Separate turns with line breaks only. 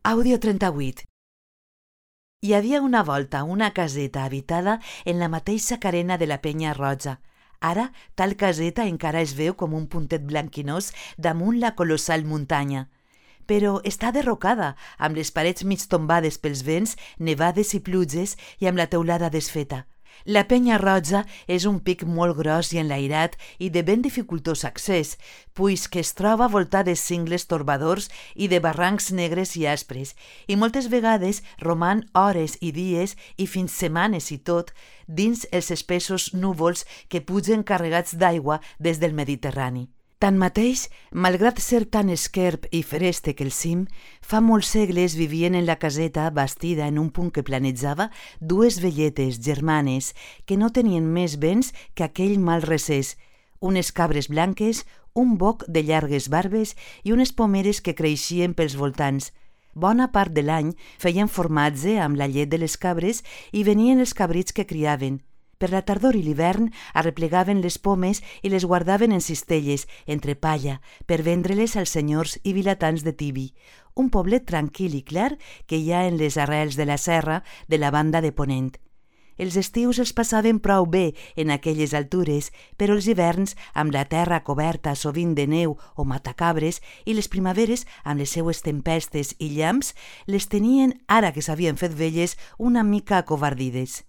Àudio 38. Hi havia una volta una caseta habitada en la mateixa carena de la Penya Roja. Ara, tal caseta encara es veu com un puntet blanquinós damunt la colossal muntanya. Però està derrocada, amb les parets mig tombades pels vents, nevades i pluges i amb la teulada desfeta. La Penya Roja és un pic molt gros i enlairat i de ben dificultós accés, puix que es troba voltat de cingles torbadors i de barrancs negres i aspres, i moltes vegades roman hores i dies i fins setmanes i tot dins els espessos núvols que pugen carregats d'aigua des del Mediterrani. Tanmateix, malgrat ser tan esquerp i fereste que el cim, fa molts segles vivien en la caseta bastida en un punt que planejava dues velletes germanes que no tenien més béns que aquell mal recés, unes cabres blanques, un boc de llargues barbes i unes pomeres que creixien pels voltants. Bona part de l'any feien formatge amb la llet de les cabres i venien els cabrits que criaven. Per la tardor i l'hivern arreplegaven les pomes i les guardaven en cistelles, entre palla, per vendre-les als senyors i vilatans de Tibi, un poblet tranquil i clar que hi ha en les arrels de la serra de la banda de Ponent. Els estius els passaven prou bé en aquelles altures, però els hiverns, amb la terra coberta sovint de neu o matacabres, i les primaveres, amb les seues tempestes i llamps, les tenien, ara que s'havien fet velles, una mica acovardides.